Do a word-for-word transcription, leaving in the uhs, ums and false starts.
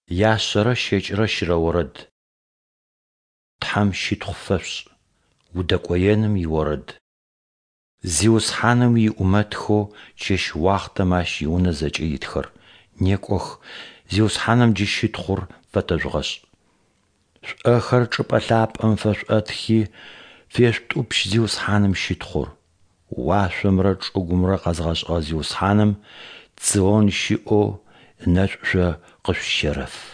Яшъэрэ щэкӏырэ щырэ орэд. Тхьэм щытхъу фэшъушӏ. Удэкӏоеным иорэд. Зиусхьаным иӏумэтхэу чэщ уахътэм Ащ иунэ зэкӏэ итхэр, некӏох, Зиусхьаным джы щытхъур фэтэжъугъэшӏ. Шъуӏэхэр чӏыпӏэ лъапӏэм фэшъуӏэтхи, фешъутӏупщ Зиусхьаным щытхъур. Уашъомрэ чӏыгумрэ къэзгъэшӏыгъэ Зиусхьаным Цион щыӏэу ынэшӏу шъо къышъущерэф.